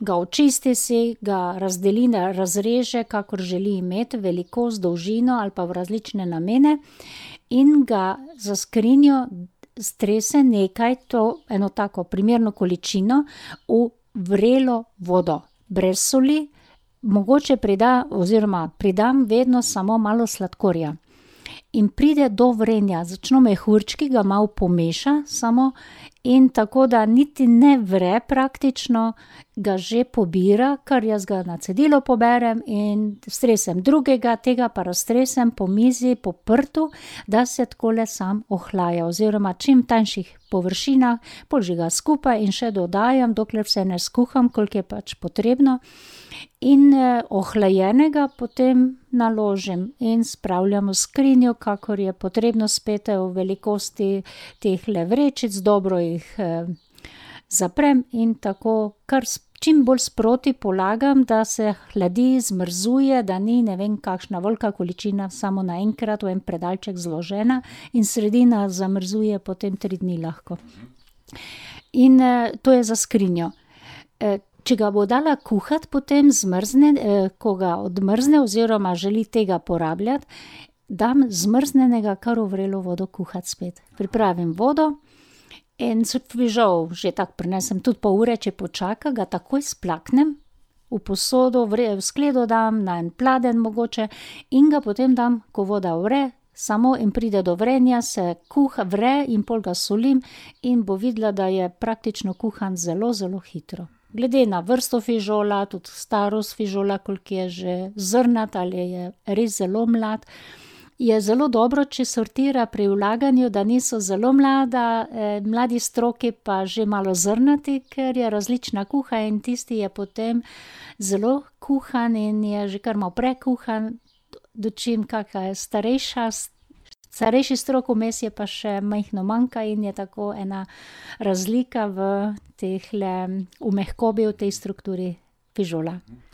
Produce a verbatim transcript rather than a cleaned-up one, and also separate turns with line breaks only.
ga očisti si, ga razdeli, razreže, kakor želi imeti, velikost, dolžino ali pa v različne namene in ga za skrinjo strese nekaj, to eno tako primerno količino v vrelo vodo, brez soli, mogoče prida, oziroma pridam vedno samo malo sladkorja. In pride do vrenja, začno mehurčki, ga malo pomeša samo in tako, da niti ne vre praktično, ga že pobira, kar jaz ga na cedilo poberem in stresem drugega, tega pa raztresem po mizi, po prtu, da se takole sam ohlaja, oziroma čim tanjših površinah, pol že ga skupaj in še dodajam, dokler vse ne skuham, koliko je pač potrebno. In eh, ohlajenega potem naložim in spravljam v skrinjo, kakor je potrebno, spet v velikosti tehle vrečic, dobro jih eh, zaprem in tako kar čim bolj sproti polagam, da se hladi, zmrzuje, da ni ne vem kakšna velika količina samo naenkrat v en predalček zložena in sredina zamrzuje potem tri dni lahko. In eh, to je za skrinjo. Eh, Če ga bo dala kuhati, potem zmrzne, eh, ko ga odmrzne oziroma želi tega porabljati, dam zmrznenega kar v vrelo vodo kuhati spet. Pripravim vodo in fižol že tako prinesem tudi pol ure, če počaka, ga takoj splaknem v posodo, v skledo dam, na en pladenj mogoče in ga potem dam, ko voda vre, samo in pride do vrenja, se kuha, vre in pol ga solim in bo videla, da je praktično kuhan zelo, zelo hitro. Glede na vrsto fižola, tudi starost fižola, koliko je že zrnat ali je res zelo mlad, je zelo dobro, če sortira pri vlaganju, da niso zelo mlada, eh, mladi stroki pa že malo zrnati, ker je različna kuha in tisti je potem zelo kuhan in je že kar malo prekuhan, dočim kakšna je starejša, starejši strok vmes je pa še majhno manjka in je tako ena razlika v tehle, v mehkobi, v tej strukturi fižola.